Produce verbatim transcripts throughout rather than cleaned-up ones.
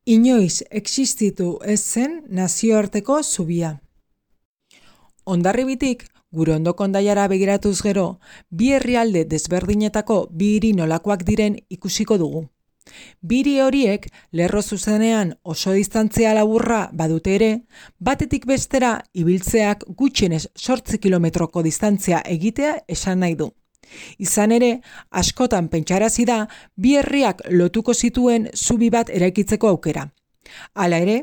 Inoiz existitu ez zen nazioarteko zubia. Hondarribitik, gure ondoko Hendaiara begiratuz gero, bi herrialde desberdinetako bi hiri nolakoak diren ikusiko dugu. Bi hiri horiek lerro zuzenean oso distantzia laburra badute ere, batetik bestera ibiltzeak gutxienez zortzi kilometroko distantzia egitea esan nahi du. Izan ere, askotan pentsarazi da bi herriak lotuko zituen zubi bat eraikitzeko aukera. Hala ere,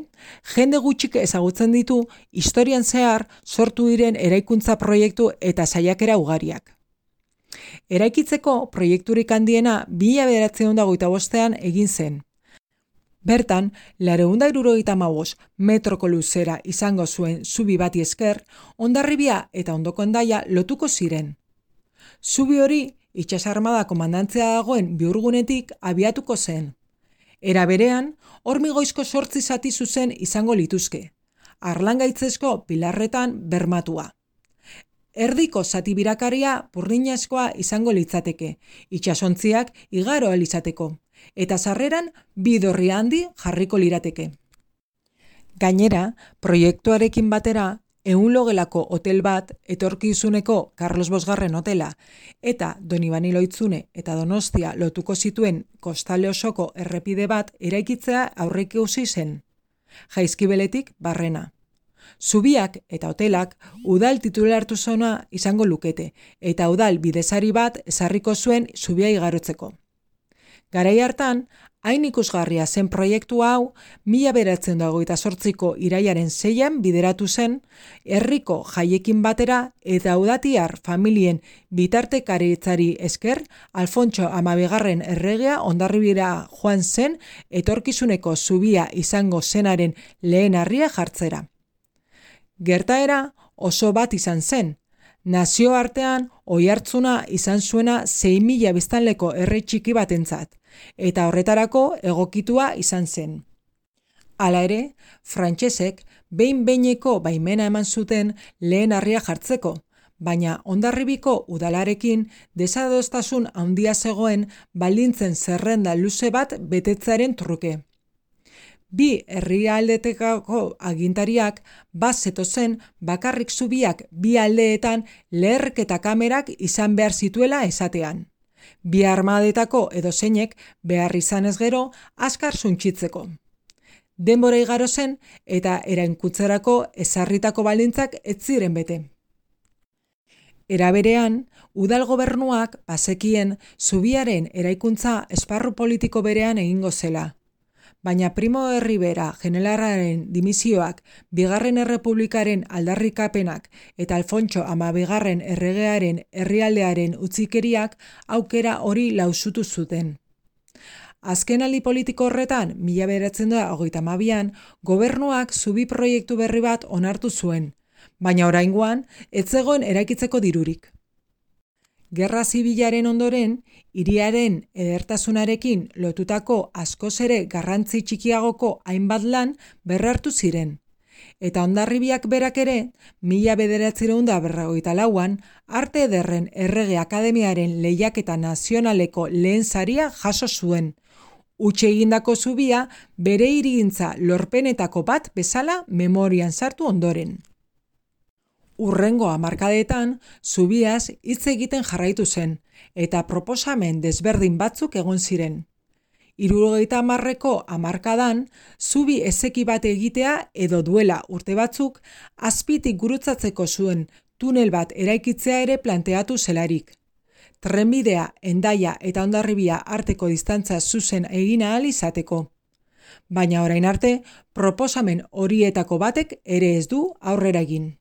jende gutxik ezagutzen ditu historian zehar sortu diren eraikuntza proiektu eta saiakera ugariak. Eraikitzeko proiekturik handiena mila bederatziehun eta hogeita bostean egin zen. Bertan, laurehun eta hirurogeita hamabost metroko luzera izango zuen zubi bati esker, Hondarribia eta ondoko Hendaia lotuko ziren. Zubi hori itsas armada komandantzia dagoen bihurgunetik abiatuko zen. Era berean, hormigoizko zortzi zati zuzen izango lituzke, harlangaitzezko pilarretan bermatua. Erdiko zati birakaria burdinazkoa izango litzateke, itsasontziak igaro ahal izateko, eta sarreran bi dorri handi jarriko lirateke. Gainera, proiektuarekin batera, ehun logelako hotel bat, etorkizuneko Karlos Bosgarren hotela, eta Donibane Lohitzune eta Donostia lotuko zituen kostale osoko errepide bat eraikitzea aurreikusi zen. Jaizkibeletik barrena. Zubiak eta hotelak udal titulartu zona izango lukete, eta udal bidezari bat ezarriko zuen zubia igarotzeko. Garai hartan, hain ikusgarria zen proiektu hau, mila bederatziehun eta hogeita zortziko irailaren seian bideratu zen, herriko jaiekin batera eta udatiar familien bitartekaritzari esker, Alfontso hamabigarren erregea Hondarribira joan zen etorkizuneko zubia izango zenaren lehen harria jartzera. Gertaera oso bat izan zen. Nazioartean oihartzuna izan zuena sei mila biztanleko herri txiki batentzat, eta horretarako egokitua izan zen. Hala ere, frantsesek behin-behineko baimena eman zuten lehen harria jartzeko, baina Hondarribiko udalarekin desadostasun handia zegoen baldintzen zerrenda luze bat betetzearen truke. Bi herrialdeetako agintariak bat zetozen bakarrik zubiak bi aldeetan leherketa kamerak izan behar zituela esatean. Bi armadetako edozeinek behar izanez gero azkar suntsitzeko. Denbora igaro zen eta eraikuntzarako ezarritako baldintzak ez ziren bete. Era berean, udal gobernuak bazekien zubiaren eraikuntza esparru politiko berean egingo zela. Baina Primo de Rivera generalaren dimisioak, bigarren errepublikaren aldarrikapenak eta Alfontso hamabigarren erregearen herrialdearen utzikeriak aukera hori lausutu zuten. Azkenaldi politiko horretan, mila bederatziehun eta hogeita hamabian, gobernuak zubi proiektu berri bat onartu zuen, baina oraingoan ez zegoen eraikitzeko dirurik. Gerra zibilaren ondoren, hiriaren edertasunarekin lotutako askoz ere garrantzi txikiagoko hainbat lan berrartu ziren. Eta Hondarribiak berak ere, mila bederatziehun eta berrogeita lauan, Arte Ederren Errege Akademiaren lehiaketa nazionaleko lehen saria jaso zuen. Huts egindako zubia bere hirigintza lorpenetako bat bezala memorian sartu ondoren. Hurrengo hamarkadetan, zubiaz hitz egiten jarraitu zen, eta proposamen desberdin batzuk egon ziren. Hirurogeita hamarreko hamarkadan, zubi ezeki bat egitea edo duela urte batzuk, azpitik gurutzatzeko zuen tunel bat eraikitzea ere planteatu zelarik. Trenbidea, Hendaia eta Hondarribia arteko distantzia zuzen egin ahal izateko. Baina orain arte, proposamen horietako batek ere ez du aurrera egin.